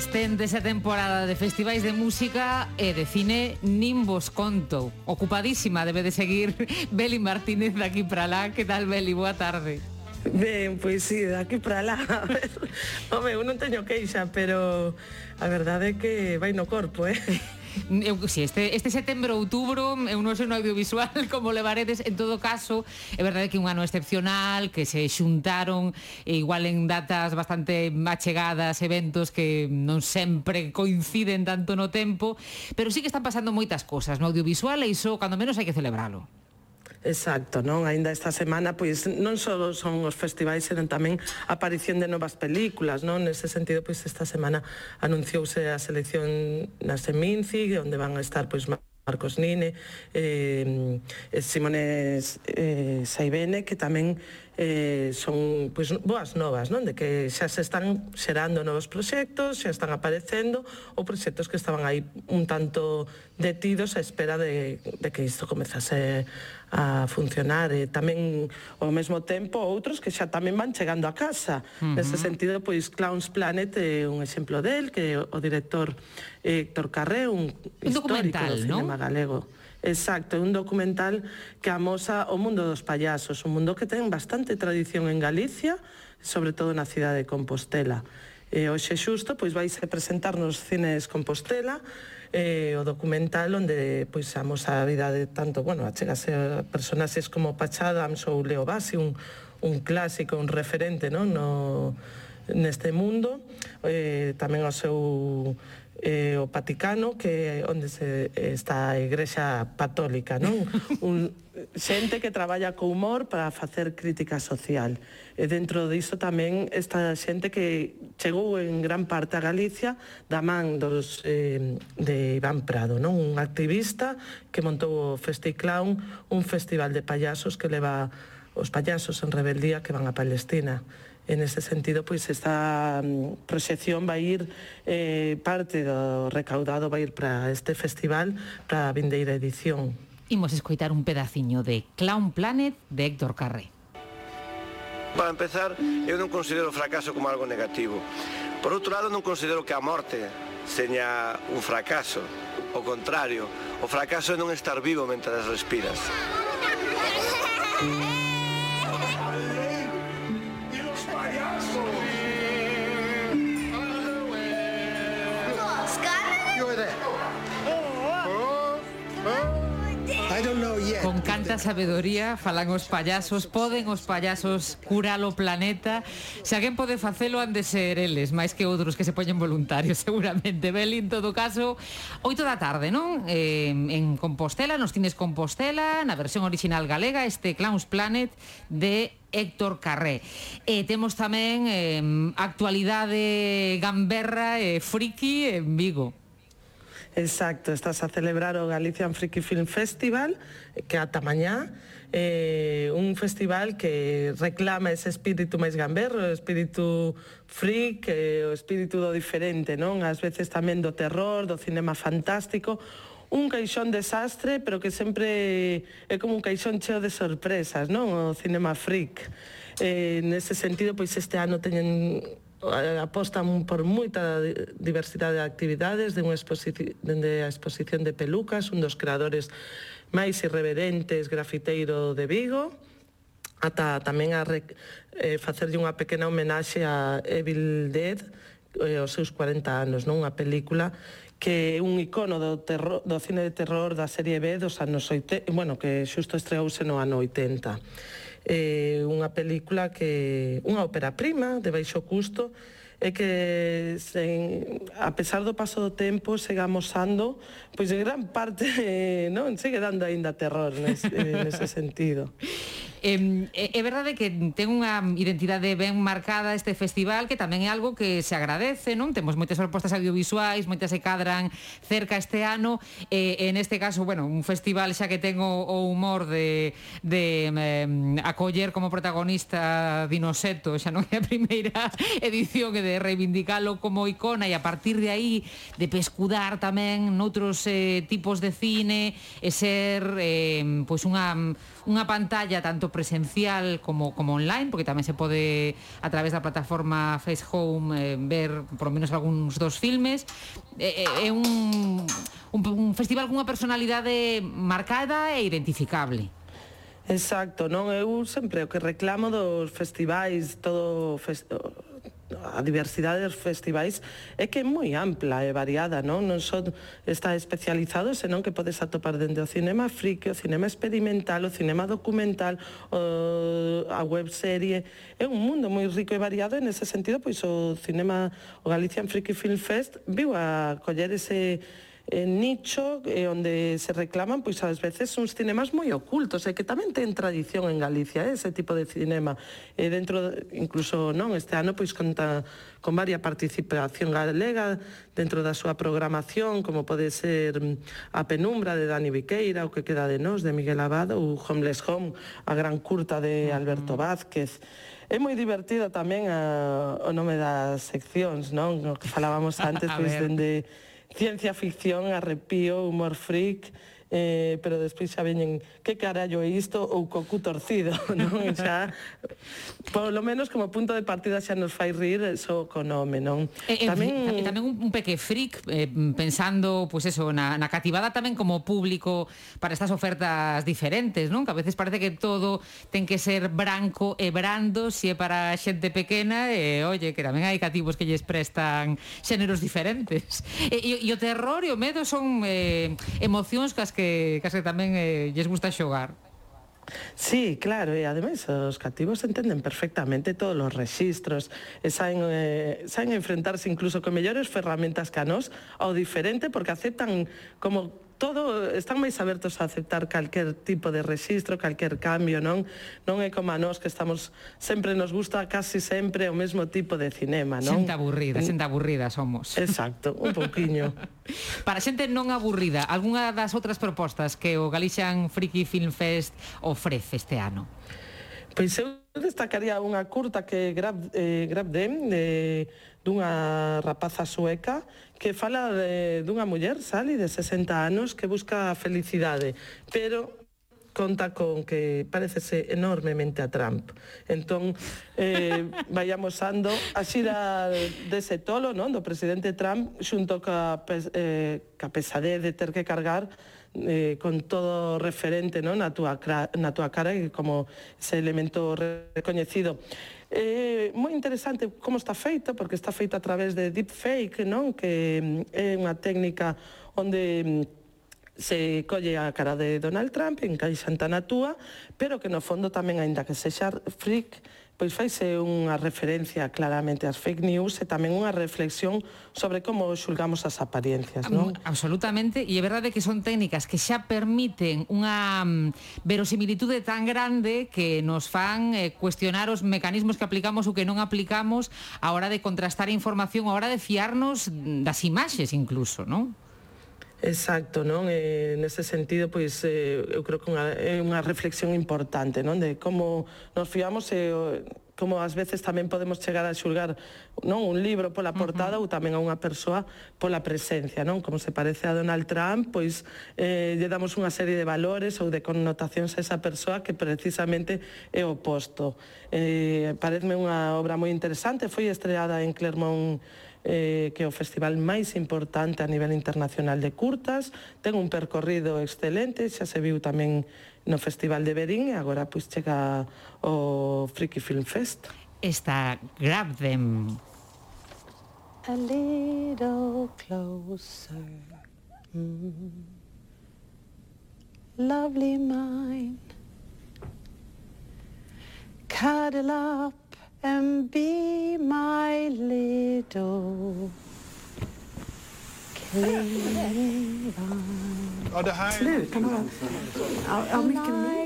Esténdese a temporada de festivais de música e de cine nin vos conto. Ocupadísima debe de seguir Beli Martínez de aquí para lá. Que tal, Beli? Boa tarde. Ben, pois sí, de aquí para lá. Home, eu non teño queixa, pero a verdade é que vai no corpo, Si, este setembro, outubro, eu non sei no audiovisual como levaredes. En todo caso, é verdade que é un ano excepcional, que se xuntaron igual en datas bastante achegadas, eventos que non sempre coinciden tanto no tempo, pero sí que están pasando moitas cosas no audiovisual e iso, cando menos, hai que celebralo. Exacto, non? Ainda esta semana, pois, non só son os festivais, senón tamén a aparición de novas películas, non? Nese sentido, pois, esta semana anunciouse a selección na Seminci, onde van a estar, pois, Marcos Nine, Simone Saibene, que tamén son, pois, boas novas, non? De que xa se están xerando novos proxectos, xa están aparecendo, ou proxectos que estaban aí un tanto detidos a espera de que isto comezase a funcionar. E tamén, ao mesmo tempo, outros que xa tamén van chegando a casa. Nese sentido, pois, Clowns Planet é un exemplo del, que o director Héctor Carré, un histórico do cinema galego. Exacto, é un documental que amosa o mundo dos payasos, un mundo que ten bastante tradición en Galicia, sobre todo na cidade de Compostela. Hoxe xusto, pois, vais a presentar nos cines Compostela o documental onde, pois, amosa a vida de tanto, bueno, achegase a personaxes como Patch Adams ou Leo Bassi, un clásico, un referente, non? Neste mundo, tamén o seu o Vaticano, que onde está a Igrexa Católica, non? Xente que traballa co humor para facer crítica social. E dentro diso tamén esta xente que chegou en gran parte a Galicia da man de Iván Prado, non? Un activista que montou o Festiclown, un festival de payasos que leva os payasos en rebeldía que van a Palestina. En ese sentido, pois, esta proxección vai ir, parte do recaudado vai ir para este festival, para a vindeira edición. Imos escoitar un pedaciño de Clown Planet de Héctor Carré. Para empezar, eu non considero o fracaso como algo negativo. Por outro lado, non considero que a morte seña un fracaso. O contrario, o fracaso é non estar vivo mentras respiras. Con canta sabedoría falan os payasos, poden os payasos curar o planeta. Se alguén pode facelo, han de ser eles, máis que outros que se poñen voluntarios, seguramente. Beli, en todo caso, 8 da tarde, non? En Compostela, nos cines Compostela, na versión original galega, este Clowns Planet de Héctor Carré. Temos tamén actualidade gamberra e friki en Vigo. Exacto, estás a celebrar o Galician Freaky Film Festival, que ata mañá, un festival que reclama ese espírito máis gamberro, o espírito freak, o espírito do diferente, non? Ás veces tamén do terror, do cinema fantástico, un caixón desastre, pero que sempre é como un caixón cheo de sorpresas, non? O cinema freak. Nese sentido, pois este ano teñen apostan por moita diversidade de actividades, dende a exposición de pelucas, un dos creadores máis irreverentes grafiteiro de Vigo, ata tamén a facerlle unha pequena homenaxe a Evil Dead, os seus 40 anos, non? Unha película que é un icono do cine de terror da serie B dos anos 80, bueno, que xusto estreouse no ano 80. Unha película que unha ópera prima de baixo custo e que a pesar do paso do tempo segue amosando, pois en gran parte non segue dando aínda terror nese sentido. É verdade que ten unha identidade ben marcada este festival, que tamén é algo que se agradece, non? Temos moitas propostas audiovisuais, moitas se cadran cerca este ano, e neste caso, bueno, un festival xa que ten o humor de acoller como protagonista Dinoseto, xa non é a primeira edición, e de reivindicalo como icona, e a partir de aí de pescudar tamén noutros tipos de cine e ser pois unha unha pantalla tanto presencial como online, porque tamén se pode a través da plataforma Face Home ver por lo menos algúns dos filmes. É un festival cunha personalidade marcada e identificable. Exacto, non? Eu sempre o que reclamo dos festivais, a diversidade dos festivais é que é moi ampla e variada, non? Non só está especializado, senón que podes atopar dende o cinema friki, o cinema experimental, o cinema documental, a webserie. É un mundo moi rico e variado, e nese sentido, pois o Galician Freaky Film Fest viu a coller ese nicho onde se reclaman pois ás veces uns cinemas moi ocultos e que tamén ten tradición en Galicia ese tipo de cinema incluso este ano pois conta con varia participación galega dentro da súa programación, como pode ser A Penumbra de Dani Viqueira, O que queda de nós de Miguel Abado, ou Homeless Home, a gran curta de Alberto Vázquez. É moi divertido tamén o nome das seccións, non? O que falábamos antes, pois dende ciencia ficción, arrepío, humor freak, pero despois xa veñen que carallo é isto ou cocu torcido, non? Xa, polo menos como punto de partida xa nos fai rir só co nome, non? Tamén un peque freak, pensando, pois eso, na cativada tamén como público para estas ofertas diferentes, non? Que a veces parece que todo ten que ser branco e brando, se é para xente pequena, e oye, que tamén hai cativos que lles prestan xéneros diferentes. E o terror e o medo son emocións que tamén lles gusta xogar. Sí, claro, e ademais os cativos entenden perfectamente todos os rexistros e saen a enfrentarse incluso con mellores ferramentas que a nós ao diferente, porque aceptan como todo, están máis abertos a aceptar calquer tipo de rexistro, calquer cambio, non é como a nós que estamos, sempre nos gusta casi sempre o mesmo tipo de cinema, non? Xente aburrida somos. Exacto, un pouquiño. Para xente non aburrida, algunha das outras propostas que o Galician Freaky Film Fest ofrece este ano? Pois eu destacaría unha curta que Grab Them, dunha rapaza sueca que fala dunha muller, Sally, de 60 anos, que busca a felicidade, pero conta con que parecese enormemente a Trump. Entón, vai amosando a xira dese tolo, non, do presidente Trump, xunto ca pesadez de ter que cargar con todo referente, non, na túa cara, como ese elemento recoñecido. Moi interesante como está feito, porque está feito a través de deepfake, non? Que é unha técnica onde se colle a cara de Donald Trump, encaixan tan a túa, pero que no fondo tamén, aínda que sexa freak, pois faise unha referencia claramente ás fake news e tamén unha reflexión sobre como xulgamos as apariencias, non? Absolutamente, e é verdade que son técnicas que xa permiten unha verosimilitude tan grande que nos fan cuestionar os mecanismos que aplicamos ou que non aplicamos a hora de contrastar a información, a hora de fiarnos das imaxes incluso, non? Exacto, non? Nese sentido, pois, eu creo que é unha reflexión importante, non? De como nos fiamos e como ás veces tamén podemos chegar a xulgar, non, un libro pola portada ou tamén a unha persoa pola presencia, non? Como se parece a Donald Trump, pois lle damos unha serie de valores ou de connotacións a esa persoa que precisamente é o oposto. Pareceme unha obra moi interesante, foi estreada en Clermont, que é o festival máis importante a nivel internacional de curtas, ten un percorrido excelente, xa se viu tamén no Festival de Verín e agora pois chega o Freaky Film Fest. Esta Grab Them. A little closer, lovely mind, cuddle up and be my little clinging vine.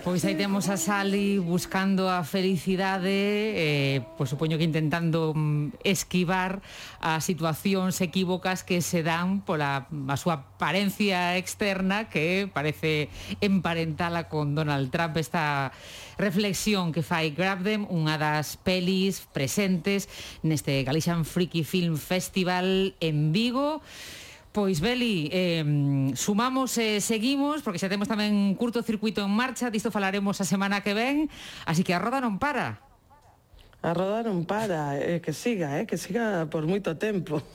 Pois aí temos a Sally buscando a felicidade, pois supoño que intentando esquivar as situacións equívocas que se dan pola a súa apariencia externa, que parece emparentala con Donald Trump. Esta reflexión que fai Grab Them, unha das pelis presentes neste Galician Freaky Film Festival en Vigo. Pois, Beli, sumamos e seguimos, porque xa temos tamén curto circuito en marcha, disto falaremos a semana que ven, así que a roda non para. A roda non para, que siga por moito tempo.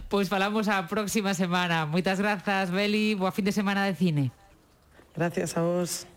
Pois falamos a próxima semana. Moitas grazas, Beli, boa fin de semana de cine. Gracias a vos.